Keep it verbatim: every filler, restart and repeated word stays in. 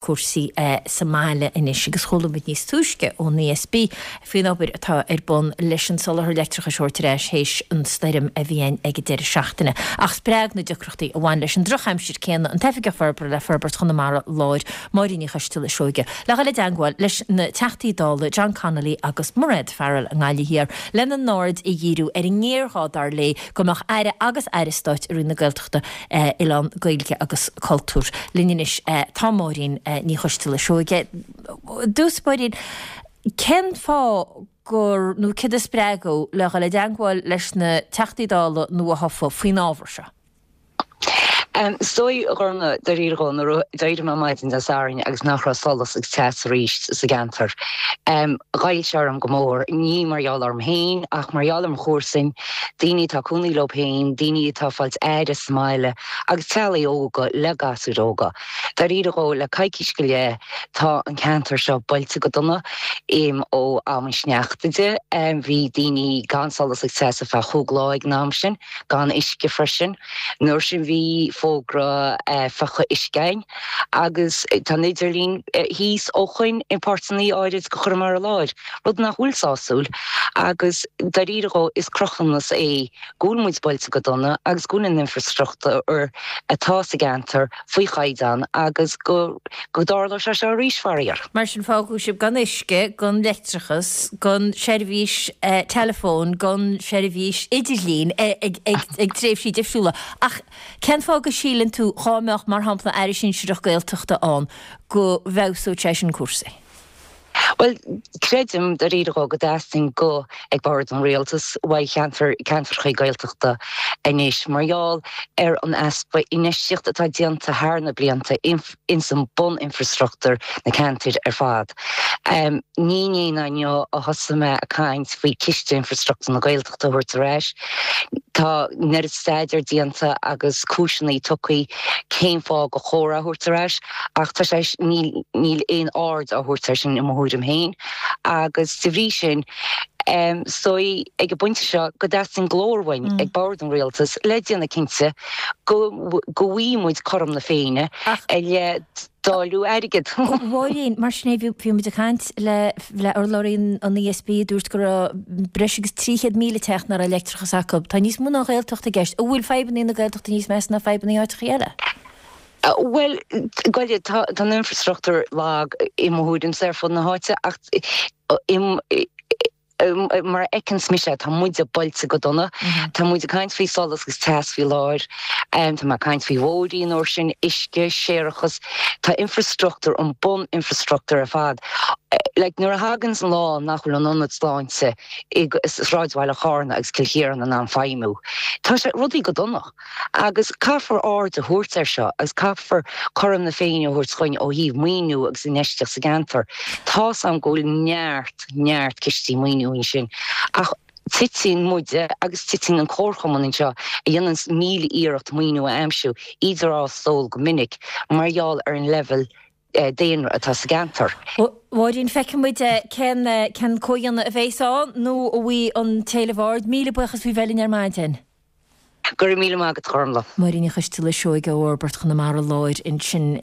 cúrsaí sa mbaile anois agus chuala muid níos túisce ón E S B faoin obair atá ar bun leis an soláthar leictreachais a thabhairt ar ais théis an stoirm a bhí ann ag an deireadh seachtaine. Ach spreag na deacrachtaí a bhain leis an drochaimsir céanna an tOifigeach Forbartha le Forbairt Chonamara Láir, Máirín Ní Choisteala Seoige, le dhul i dteagmháil leis na Teachtaí Dála John Connolly agus Mairéad Farrell i nGaillimh Thiar lena n-aird a dhíriú ar an ngéarghá dar léi go mbeadh aire agus aire stáit i Roinn na Gaeltachta, Oileán, Gaeilge agus Cultúr. Linn anois tá Máirín Ní Choisteala Seoige. Dtús, Máirín, cén fáth gur nó cad a spreag thú le dhul i dteagmháil leis na Teachtaí Dála nua-thofa faoin ábhar seo? Um, is dóigh Ghormfhlaith, dáiríre dhó, nuair a d'éirigh mé maidin Dé Sathairn agus nach raibh solas agus teas arís sa gceantar. Um, Ghoill sé orm go mór, ní mar gheall orm féin ach mar gheall ar mo chomharsain, daoine atá cónaí leo féin, daoine atá fáilt aire sa mbaile agus teaghlaigh óga le gasúir óga. Dáiríre dhó, le coicís go leith tá an ceantar seo buailte go dona im ó am an sneachta de. Um, bhí daoine gan solas agus teas ar feadh chúig lá ag an am sin, gan uisce freisin. Nuair sin bhí fógra uh, faighte uisce agus tá an idirlíon uh, thíos ó shoin in páirteanna áirid go Chonamara Láir, rud nach bhfuil sásúil agus dáiríre dhó is cruthúnas é go bhfuil muid buailte go dona agus go bhfuil an infrastruchtúr atá sa gceantar faoi chaighdeán agus go go dtarlóidh sé seo arís faraor. Mar sin fágadh sibh gan uisce, gan leictreachas, gan seirbhís eh, telefón, gan seirbhís idirlín eh, ag, ag, ag tréimhsí difriúla. Ach cén fáth go síleann tú dhá mbeadh mar shampla aire sinsearach Gaeltachta ann go bhfeabhsódh sé sin cúrsaí? Well, creidim dáiríre go dteastaíonn go ag bord an rialtas uaidh ceantar ceantracha Gaeltachta anois mar gheall ar an easpa infheistíocht atá déanta thar na blianta ins an bun-infrastruchtúr na ceantair ar fad. Um, ní inné ná inniu a thosaigh mé ag caint faoi ciste infrastruchtúr na Gaeltachta a thabhairt ar ais. Tá neart staidéar déanta agus cúiseanna tugtha cén fáth gur chóir a thabhairt ar ais ach tá sé níl níl aon aird á thabhairt air sin i mo thuairim féin agus de bhrí sin um, so ag an bpointe seo go dteastaíonn glór uainn mm. ag bord an rialtas le déanamh cinnte go go bhfaighidh muid cothrom na Féinne le dáileadh airgid. Mháirín, mar sin bhí muid ag caint le le urlabhraí an E S B dúirt go raibh breis agus trí chéad míle teach nach raibh leictreachas acu. Tá níos mó ná Gaeltacht i gceist, an bhfuil fadhbanna na Gaeltachta níos measa ná fadhbanna áiteacha eile? Uh, well goile tá an infrastruchtúr lag i mo thuairim ar fud na háite ach im mar fheiceann mise tá muide buailte go dona. Mhm. Tá muid ag caint faoi solas agus teas faoi láthair, um, Tá má caint faoi bhóithrí nó sin uisce séarachas, tá infrastruchtúr an bun infrastruchtúr ar fad. Like, nuair a thagann an lá nach bhfuil an ionad sláinte i sráidbhaile Charna agus Cill Chiaráin in ann feidhmiú. Tá sé rudaí go dona. Agus caithfear aird a thabhairt air seo agus caithfear cothrom na Féinne a thabhairt dúinn ó thaobh maoiniú agus infheistíocht sa gceantar. Tá am go bhfuil neart neart cistí maoiniú sin. Ach titeann muide agus titeann an comharchumann anseo a dhéanann míle iarracht maoiniú a aimsiú idir á stól go minic mar gheall ar an level eh, daonra atá sa gceantar. Mháirín, feicfimid cén cén comhdhéanamh a bheas ann nó a bhí an téleamhard míle buíochas faoi bheith linn ar maidin. Gur míle maith agat, Gormfhlaith. Máirín Ní Choisteala Seoige ó Fhorbairt Chonamara Láir ansin.